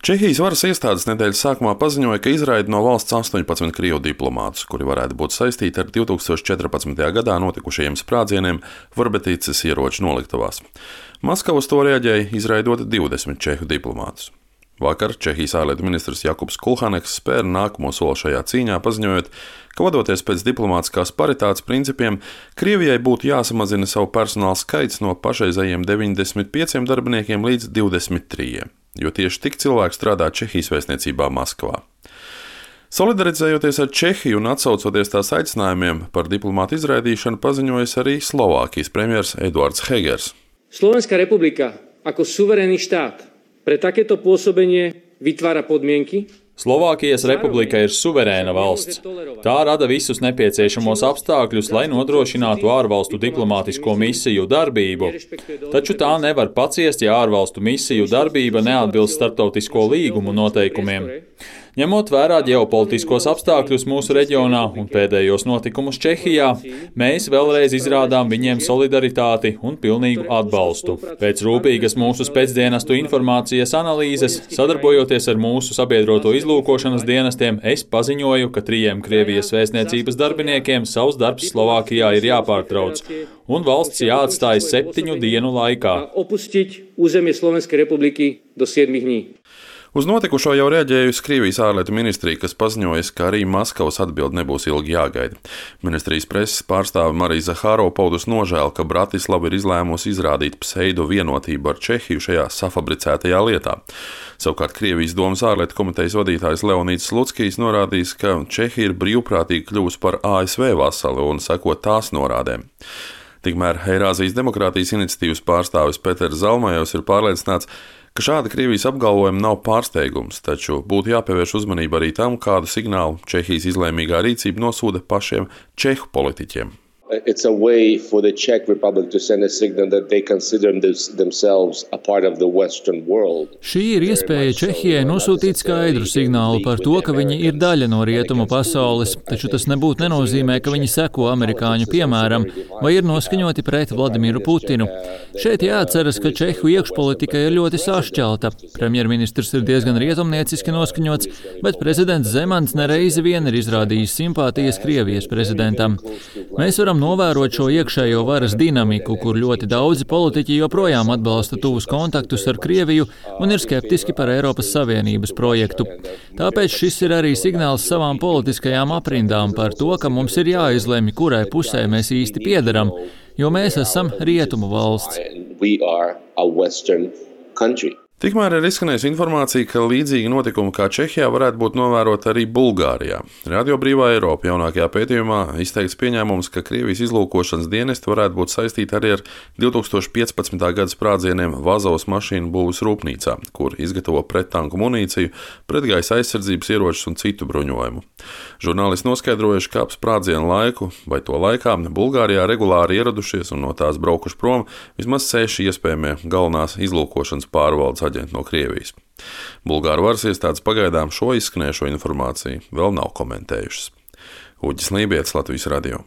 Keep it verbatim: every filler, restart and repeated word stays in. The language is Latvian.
Čehijas varas iestādes nedēļas sākumā paziņoja, ka izraida no valsts astoņpadsmit krievu diplomātus, kuri varētu būt saistīti ar divtūkstoš četrpadsmitajā gadā notikušajiem sprādzieniem Vrbeticas ieroču noliktavās. Maskava uz to reaģēja, izraidot divdesmit čehu diplomātus. Vakar Čehijas ārlietu ministrs Jakubs Kulhaneks spēra nākamo soli šajā cīņā, paziņojot, ka vadoties pēc diplomātiskās paritātes principiem, Krievijai būtu jāsamazina savu personāla skaits no pašreizējiem deviņdesmit pieciem darbiniekiem līdz divdesmit trījiem, jo tieši tik cilvēku strādā Čehijas vēstniecībā Maskavā. Solidarizējoties ar Čehiju un atsaucoties tās aicinājumiem par diplomātu izraidīšanu, paziņojas arī Slovākijas premjers Eduards Hegers. Slovenská republika ako suverénny štát pre takéto pôsobenie vytvára podmienky. Slovākijas republika ir suverēna valsts. Tā rada visus nepieciešamos apstākļus, lai nodrošinātu ārvalstu diplomātisko misiju darbību. Taču tā nevar paciest, ja ārvalstu misiju darbība neatbilst starptautisko līgumu noteikumiem. Ņemot vērā ģeopolitiskos apstākļus mūsu reģionā un pēdējos notikumus Čehijā, mēs vēlreiz izrādām viņiem solidaritāti un pilnīgu atbalstu. Pēc rūpīgas mūsu spēcdienestu informācijas analīzes, sadarbojoties ar mūsu sabiedroto izlūkošanas dienestiem, es paziņoju, ka trījiem Krievijas vēstniecības darbiniekiem savs darbs Slovākijā ir jāpārtrauc, un valsts jāatstāj septiņu dienu laikā. Uz notikušo jau reaģējusi Krievijas ārlietu ministrija, kas paziņojas, ka arī Maskavas atbilde nebūs ilgi jāgaida. Ministrijas preses pārstāve Marija Zahārova paudus nožēlu, ka Bratislava ir izlēmusi izrādīt pseido vienotību ar Čehiju šajā safabricētajā lietā. Savukārt Krievijas domas ārlietu komitejas vadītājs Leonīds Slutskijs norādījis, ka Čehija ir brīvprātīgi kļuvusi par A S V vasali un seko tās norādēm. Tikmēr Eirāzijas demokrātijas iniciatīvas pārstāvis Peters Zalmajevs ir pārliecināts, ka šāda Krievijas apgalvojuma nav pārsteigums, taču būtu jāpievērš uzmanība arī tam, kādu signālu Čehijas izlēmīgā rīcība nosūta pašiem čehu politiķiem. It's a way for the Czech Republic to send a signal that they consider themselves a part of the Western world. Šī ir iespēja Čehijai nosūtīt skaidru signālu par to, ka viņi ir daļa no rietumu pasaules, taču tas nebūtu nenozīmē, ka viņi seko amerikāņu piemēram vai ir noskaņoti pret Vladimiru Putinu. Šeit jāatceras, ka Čehu iekšpolitika ir ļoti sašķelta. Premjerministrs ir diezgan rietumnieciski noskaņots, bet prezidents Zemans nereizi vien ir izrādījis simpātijas Krievijas prezidentam. Mēs varam novērot šo iekšējo varas dinamiku, kur ļoti daudzi politiķi joprojām atbalsta tuvus kontaktus ar Krieviju un ir skeptiski par Eiropas Savienības projektu. Tāpēc šis ir arī signāls savām politiskajām aprindām par to, ka mums ir jāizlemj, kurai pusē mēs īsti piederam, jo mēs esam rietumu valsts. Tikmēr ir izskanējusi informācija, ka līdzīgi notikumi kā Čehijā varētu būt novēroti arī Bulgārijā. Radio Brīvā Eiropa jaunākajā pētījumā izteikts pieņēmums, ka Krievijas izlūkošanas dienesti varētu būt saistīti arī ar divtūkstoš piecpadsmitā gada sprādzieniem Vazovas mašīnu būves rūpnīcā, kur izgatavo prettanku munīciju, pretgaisa aizsardzības ieročus un citu bruņojumu. Žurnālisti noskaidrojuši, ka ap sprādzienu laiku vai to laikā Bulgārijā regulāri ieradušies un no tās braukuši prom vismaz seši iespējamie galvenās izlūkošanas pārvaldes aģenti no Krievijas. Bulgāru varas iestādes pagaidām šo izskanējušo informāciju vēl nav komentējušas. Uģis Lībietis, Latvijas radio.